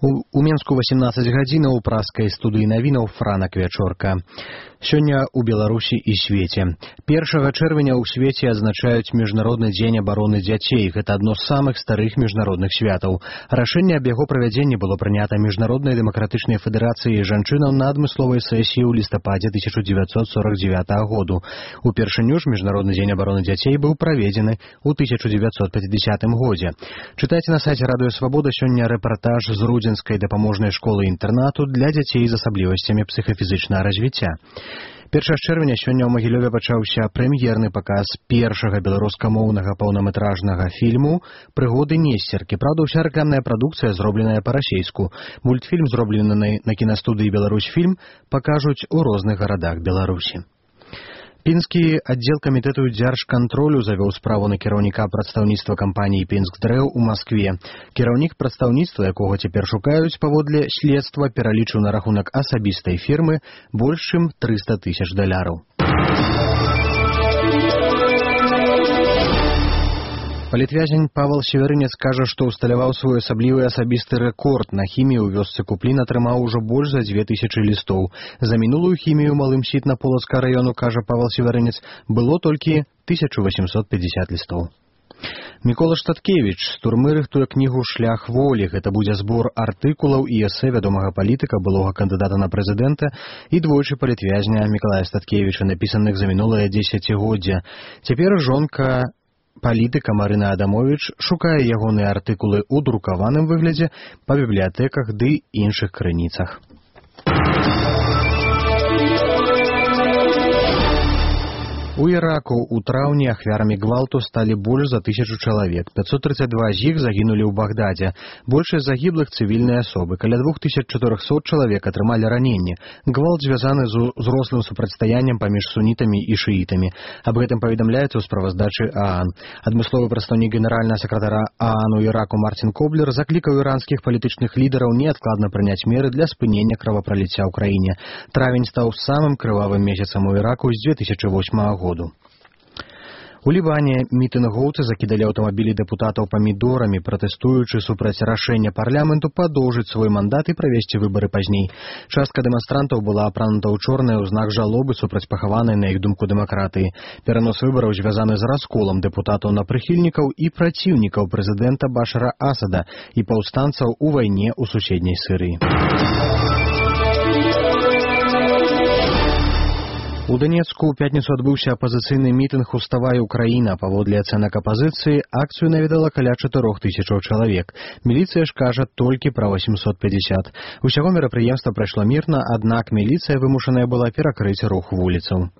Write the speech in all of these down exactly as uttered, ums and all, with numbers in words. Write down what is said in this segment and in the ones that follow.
У, у Менску восемнадцать гадзінаў у праскай студыі навінаў Франак Вячорка. Сёння ў Беларусі і свеце. Першага чэрвеня ў свеце адзначаюць Міжнародны дзень абароны дзяцей. Гэта адно з самых старых міжнародных святаў. Рашэнне аб яго правядзенні было прынята Міжнароднай дэмакратычнай федэрацыяй жанчынаў на адмысловай сесіі ў лістападзе тысяча дзевяцьсот сорок дзевятага году. Упершыню ж Міжнародны дзень абароны дзяцей быў праведзены ў тысяча дзевяцьсот пяцідзясятым годзе. Чытайце на сайце Радыё Свабода сёння рэпартаж з Рудзенскай дапаможнай школы-інтэрнату для дзяцей з асаблівасцямі псіхафізічнага развіцця. Першага чэрвеня сёння ў Магілёве пачаўся прэм'ерны паказ першага беларускамоўнага паўнаметражнага фільму «Прыгоды Несцеркі». Праўда, ўся рэкламная прадукцыя зробленая па-расейску. Мультфільм, зроблены на кінастудыі «Беларусьфільм», пакажуць у розных гарадах Беларусі. Пінскі аддзел камітэту дзяржкантролю завёў справу на кіраўніка прадстаўніцтва кампаніі «Пінскдрэў» у Маскве. Кіраўнік прадстаўніцтва, якога цяпер шукаюць паводле следства, пералічыў на рахунак асабістай фірмы больш чым трыста тысяч даляраў. Палітвязень Павел Северынец кажа, што ўсталяваў свой асаблівы асабісты рэкорд. На хімію ў вёсцы Куплін атрымаў ужо больш за дзве тысячы лістоў. За мінулую хімію малым Сітна-Полацка раёну, кажа Павел Северынец, было толькі тысяча восемьсот пятьдесят лістоў. Мікола Штаткевіч з турмы рыхтуе кнігу «Шлях волі». Гэта будзе збор артыкулаў і эсэ вядомага палітыка, былога кандыдата на прэзідэнта і двойчы палітвязня Мікалая Штаткевіча, напісаных за мінулае дзесяцігоддзя. Цяпер жонка палітыка Марына Адамовіч шукае ягоныя артыкулы ў друкаваным выглядзе па бібліятэках ды іншых крыніцах. У Іраку ў траўні ахвярамі гвалту сталі больш за тысячу чалавек. пятьсот тридцать два з іх загінулі ў Багдадзе. Большасць загіблых цывільныя асобы. Каля двух тысяч чатырохсот чалавек атрымалі раненні. Гвалт звязаны з узрослым супрацьстаяннем паміж сунітамі і шыітамі. Аб гэтым паведамляецца ў справаздачы ААН. Адмысловы прадстаўнік генеральнага сакратара ААН у Іраку Мартин Коблер заклікаў іранскіх палітычных лідараў неадкладна прыняць меры для спынення кровапраліцця ў краіне. Травень стаў самым крывавым месяцам у Іраку з две тысячи восьмага года. У Лібане мітынгоўцы закідалі аўтамабілі дэпутатаў памідорамі, пратэстуючы супраць рашэння парламенту падоўжыць свой мандат і правесці выбары пазней. Частка дэманстрантаў была апранута ў чорнае ў знак жалобы супраць пахаванай, на іх думку, дэмакратыі. Перанос выбараў звязаны з расколам дэпутатаў на прыхільнікаў і праціўнікаў прэзідэнта Башара Асада і паўстанцаў у вайне ў суседняй Сірыі. У Данецку ў пятніцу адбыўся апазіцыйны мітынг «Уставай, Украіна». Паводле ацэнак апазіцыі, акцыю наведала каля чатырох тысячаў чалавек. Міліцыя ж кажа толькі пра восемьсот пятьдесят. Усяго мерапрыемства прайшло мірна, аднак міліцыя вымушаная была перакрыць рух вуліцаў.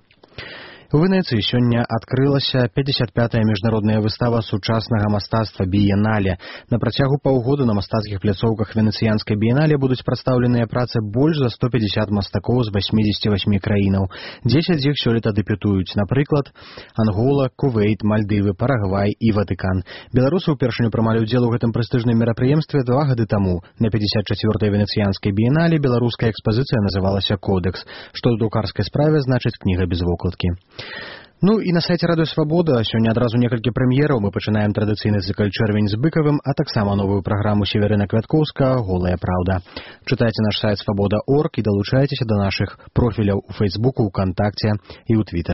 У Венецыі сёння адкрылася пятьдесят пятая міжнародная выстава сучаснага мастацтва «Біенале». На працягу паўгода на мастацкіх пляцоўках венецыянскай біенале будуць прадстаўленыя працы больш за сто пятьдесят мастакоў з восьмидесяти восьми краінаў. дзесяць з іх сёлета дэбютуюць, напрыклад, Ангола, Кувейт, Мальдывы, Парагвай і Ватыкан. Беларусы ўпершыню прымалі ўдзел у гэтым прэстыжным мерапрыемстве два гады таму. На пятьдесят чацвёртай венецыянскай біенале беларуская экспазіцыя называлася «Кодекс», што ў друкарскай справе значыць кніга без вокладкі. Ну і на сайце Радыё Свабода сёння адразу некалькі прэм'ераў. Мы пачынаем традыцыйны цыкл «Чэрвень з Быкавым», а таксама новую праграму Северына Квяткоўска «Голая праўда». Чытайце наш сайт свабода точка орг і далучайцеся да нашых профіляў у Фейсбуку, ВКонтакце і ў Твіттер.